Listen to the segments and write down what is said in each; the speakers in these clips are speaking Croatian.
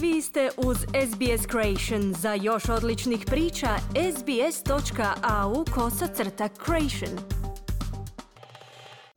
Vi ste uz SBS Creation. Za još odličnih priča, sbs.au/creation.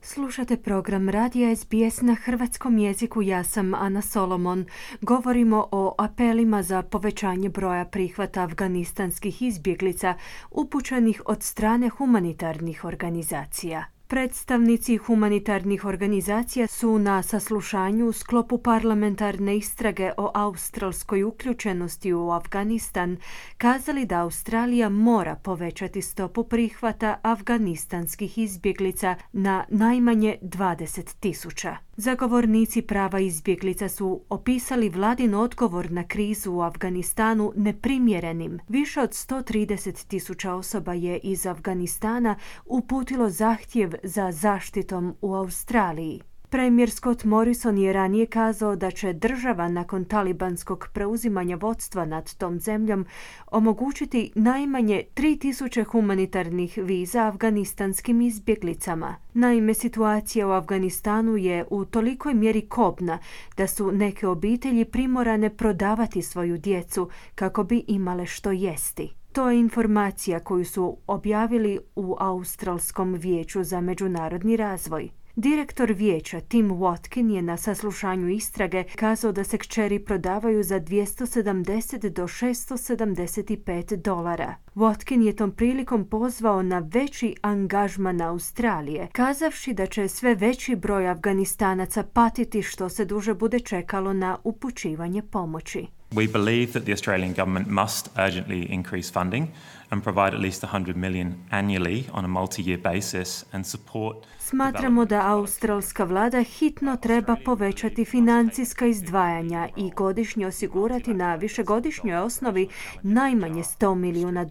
Slušate program Radija SBS na hrvatskom jeziku. Ja sam Ana Solomon. Govorimo o apelima za povećanje broja prihvata afganistanskih izbjeglica upućenih od strane humanitarnih organizacija. Predstavnici humanitarnih organizacija su na saslušanju u sklopu parlamentarne istrage o australskoj uključenosti u Afganistan kazali da Australija mora povećati stopu prihvata afganistanskih izbjeglica na najmanje 20,000. Zagovornici prava izbjeglica su opisali vladin odgovor na krizu u Afganistanu neprimjerenim. Više od 130,000 osoba je iz Afganistana uputilo zahtjev za zaštitom u Australiji. Premijer Scott Morrison je ranije kazao da će država nakon talibanskog preuzimanja vodstva nad tom zemljom omogućiti najmanje 3,000 humanitarnih viza afganistanskim izbjeglicama. Naime, situacija u Afganistanu je u tolikoj mjeri kobna da su neke obitelji primorane prodavati svoju djecu kako bi imale što jesti. To je informacija koju su objavili u Australskom vijeću za međunarodni razvoj. Direktor vijeća Tim Watkin je na saslušanju istrage kazao da se kćeri prodavaju za $270 do $675. Watkin je tom prilikom pozvao na veći angažman Australije, kazavši da će sve veći broj Afganistanaca patiti što se duže bude čekalo na upućivanje pomoći. We believe that the Australian government must urgently increase funding and provide at least $100 million annually on a multi-year basis and support. Smatramo da australska vlada hitno treba povećati financijska izdvajanja i godišnje osigurati na višegodišnjoj osnovi najmanje $100 milijuna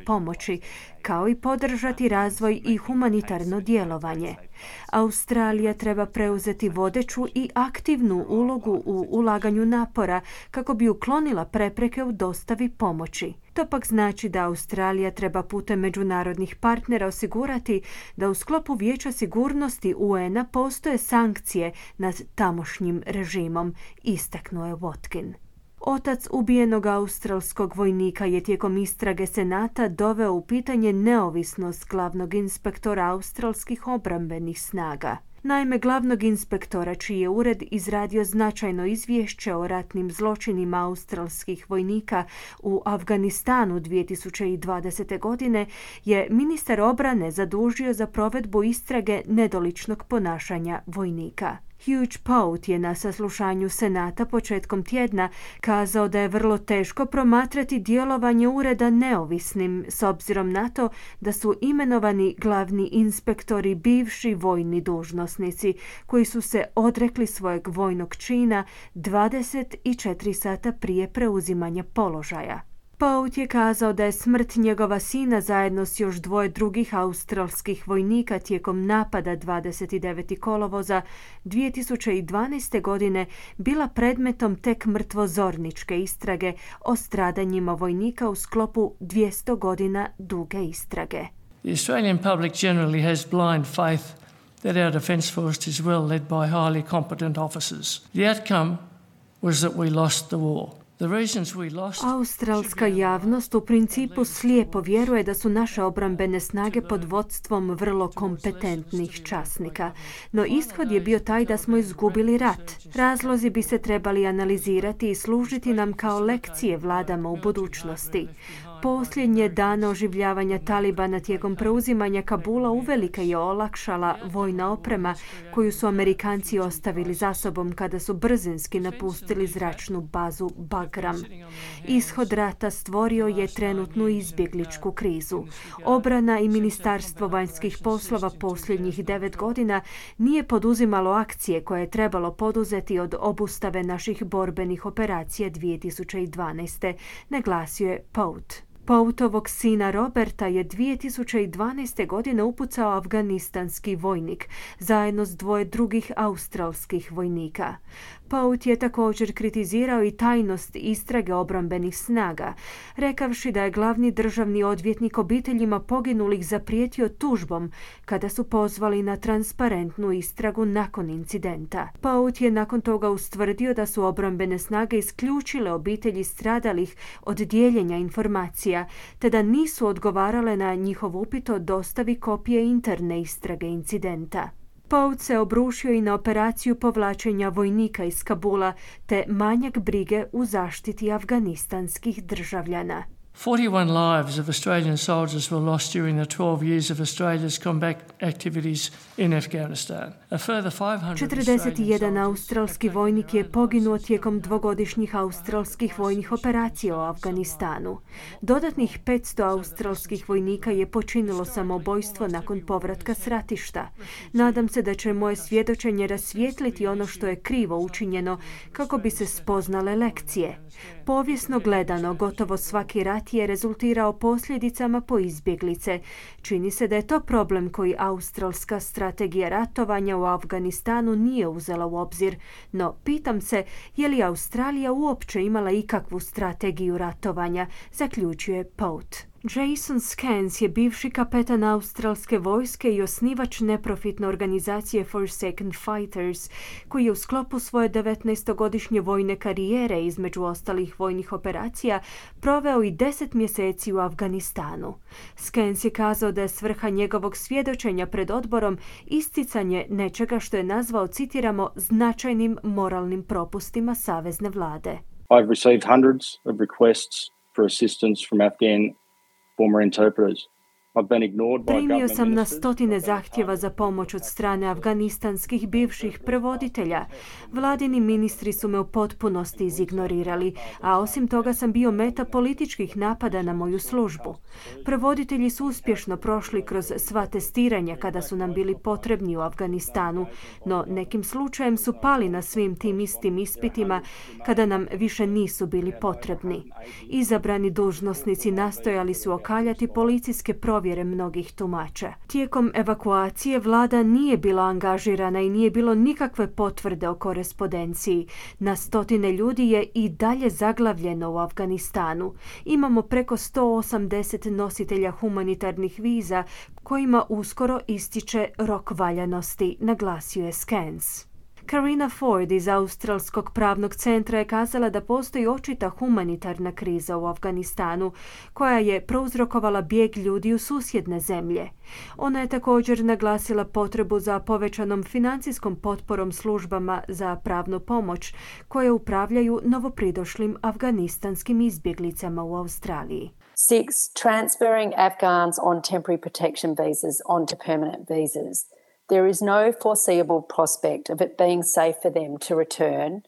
pomoći, kao i podržati razvoj i humanitarno djelovanje. Australija treba preuzeti vodeću i aktivnu ulogu u ulaganju napora kako bi uklonila prepreke u dostavi pomoći. To pak znači da Australija treba putem međunarodnih partnera osigurati da u sklopu Vijeća sigurnosti UN-a postoje sankcije nad tamošnjim režimom, istaknuo je Watkin. Otac ubijenog australskog vojnika je tijekom istrage Senata doveo u pitanje neovisnost glavnog inspektora australskih obrambenih snaga. Naime, glavnog inspektora, čiji je ured izradio značajno izvješće o ratnim zločinima australskih vojnika u Afganistanu 2020. godine, je ministar obrane zadužio za provedbu istrage nedoličnog ponašanja vojnika. Hugh Pout je na saslušanju Senata početkom tjedna kazao da je vrlo teško promatrati djelovanje ureda neovisnim s obzirom na to da su imenovani glavni inspektori bivši vojni dužnosnici koji su se odrekli svojeg vojnog čina 24 sata prije preuzimanja položaja. Pout je kazao da je smrt njegova sina zajedno s još 2 drugih australskih vojnika tijekom napada 29. kolovoza 2012. godine bila predmetom tek mrtvozorničke istrage o stradanjima vojnika u sklopu 200 godina duge istrage. The Australian public generally has blind faith that our defence force is well led by highly competent officers. The outcome was that we lost the war. Australska javnost u principu slijepo vjeruje da su naše obrambene snage pod vodstvom vrlo kompetentnih časnika. No ishod je bio taj da smo izgubili rat. Razlozi bi se trebali analizirati i služiti nam kao lekcije vladama u budućnosti. Posljednje dane oživljavanja Talibana tijekom preuzimanja Kabula uvelike je olakšala vojna oprema koju su Amerikanci ostavili za sobom kada su brzinski napustili zračnu bazu Bagram. Ishod rata stvorio je trenutnu izbjegličku krizu. Obrana i Ministarstvo vanjskih poslova posljednjih 9 godina nije poduzimalo akcije koje je trebalo poduzeti od obustave naših borbenih operacija 2012. naglasio je Pout. Poutovog sina Roberta je 2012. godine upucao afganistanski vojnik zajedno s 2 drugih australskih vojnika. Pout je također kritizirao i tajnost istrage obrambenih snaga, rekavši da je glavni državni odvjetnik obiteljima poginulih zaprijetio tužbom kada su pozvali na transparentnu istragu nakon incidenta. Pout je nakon toga ustvrdio da su obrambene snage isključile obitelji stradalih od dijeljenja informacija, te da nisu odgovarale na njihov upit o dostavi kopije interne istrage incidenta. Pout se obrušio i na operaciju povlačenja vojnika iz Kabula te manjak brige u zaštiti afganistanskih državljana. 41 lives of Australian soldiers were lost during the 12 years of Australia's combat activities in Afghanistan. A further 41 australski vojnik je poginuo tijekom dvogodišnjih australskih vojnih operacija u Afganistanu. Dodatnih 500 australskih vojnika je počinilo samoubojstvo nakon povratka s ratišta. Nadam se da će moje svjedočenje rasvijetliti ono što je krivo učinjeno kako bi se spoznale lekcije. Povijesno gledano, gotovo svaki rat je rezultirao posljedicama po izbjeglice. Čini se da je to problem koji australska strategija ratovanja u Afganistanu nije uzela u obzir, no pitam se je li Australija uopće imala ikakvu strategiju ratovanja, zaključuje Pout. Jason Scans je bivši kapetan australske vojske i osnivač neprofitne organizacije Forsaken Fighters, koji je u sklopu svoje 19-godišnje vojne karijere, između ostalih vojnih operacija, proveo i 10 mjeseci u Afganistanu. Scans je kazao da je svrha njegovog svjedočenja pred odborom isticanje nečega što je nazvao, citiramo, značajnim moralnim propustima savezne vlade. I've received hundreds of requests for assistance from Afghan former interpreters. Primio sam na stotine zahtjeva za pomoć od strane afganistanskih bivših prevoditelja. Vladini ministri su me u potpunosti izignorirali, a osim toga sam bio meta političkih napada na moju službu. Prevoditelji su uspješno prošli kroz sva testiranja kada su nam bili potrebni u Afganistanu, no nekim slučajem su pali na svim tim istim ispitima kada nam više nisu bili potrebni. Izabrani dužnosnici nastojali su okaljati policijske provjere mnogih tumača. Tijekom evakuacije vlada nije bila angažirana i nije bilo nikakve potvrde o korespondenciji. Na stotine ljudi je i dalje zaglavljeno u Afganistanu. Imamo preko 180 nositelja humanitarnih viza kojima uskoro ističe rok valjanosti, naglasio je Scans. Karina Ford iz Australskog pravnog centra je kazala da postoji očita humanitarna kriza u Afganistanu koja je prouzrokovala bijeg ljudi u susjedne zemlje. Ona je također naglasila potrebu za povećanom financijskom potporom službama za pravnu pomoć koje upravljaju novopridošlim afganistanskim izbjeglicama u Australiji. 6. Transferring Afghans on temporary protection visas onto permanent visas. There is no foreseeable prospect of it being safe for them to return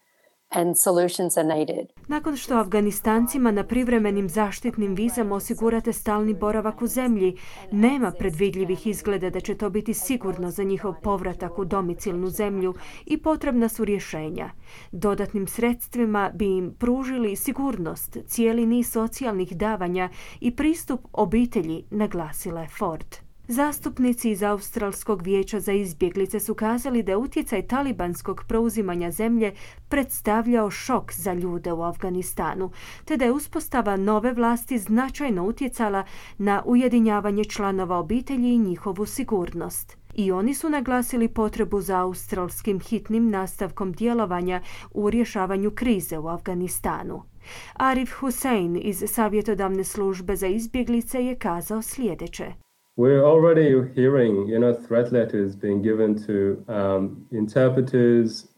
and solutions are needed. Nakon što Afganistancima na privremenim zaštitnim vizama osigurate stalni boravak u zemlji, nema predvidljivih izgleda da će to biti sigurno za njihov povratak u domicilnu zemlju i potrebna su rješenja. Dodatnim sredstvima bi im pružili sigurnost, cijeli niz socijalnih davanja i pristup obitelji, naglasila je Ford. Zastupnici iz Australskog vijeća za izbjeglice su kazali da je utjecaj talibanskog preuzimanja zemlje predstavljao šok za ljude u Afganistanu, te da je uspostava nove vlasti značajno utjecala na ujedinjavanje članova obitelji i njihovu sigurnost. I oni su naglasili potrebu za australskim hitnim nastavkom djelovanja u rješavanju krize u Afganistanu. Arif Hussein iz savjetodavne službe za izbjeglice je kazao sljedeće. We're already hearing, threat letters being given to interpreters,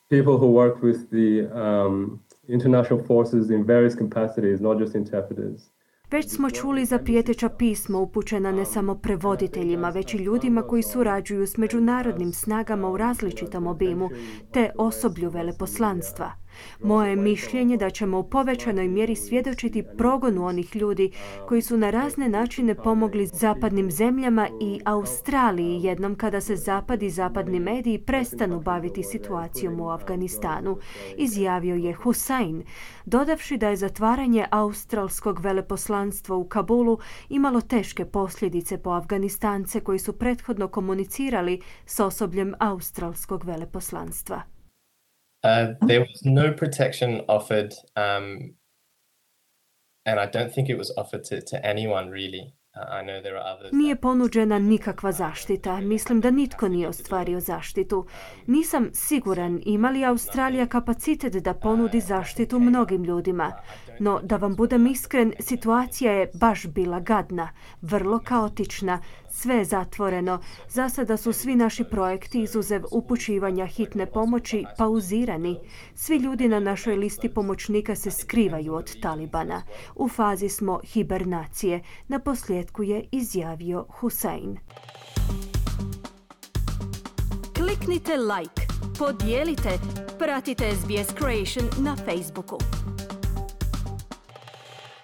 people who work with the international forces in various capacities, not just interpreters. Već smo čuli za prijeteća pisma upućena ne samo prevoditeljima, već i ljudima koji surađuju s međunarodnim snagama u različitom obimu, te osoblju veleposlanstva. Moje je mišljenje da ćemo u povećanoj mjeri svjedočiti progonu onih ljudi koji su na razne načine pomogli zapadnim zemljama i Australiji jednom kada se zapad i zapadni mediji prestanu baviti situacijom u Afganistanu, izjavio je Hussein, dodavši da je zatvaranje australskog veleposlanstva u Kabulu imalo teške posljedice po Afganistance koji su prethodno komunicirali s osobljem australskog veleposlanstva. There was no protection offered, and I don't think it was offered to anyone really. I know there are others. Nije ponuđena nikakva zaštita. Mislim da nitko nije ostvario zaštitu. Nisam siguran ima li Australija kapacitet da ponudi zaštitu mnogim ljudima. No, da vam budem iskren, situacija je baš bila gadna, vrlo kaotična, sve je zatvoreno. Za sada su svi naši projekti izuzev upućivanja hitne pomoći pauzirani. Svi ljudi na našoj listi pomoćnika se skrivaju od Talibana. U fazi smo hibernacije, naposljetku je izjavio Hussein. Kliknite like, podijelite, pratite SBS Creation na Facebooku.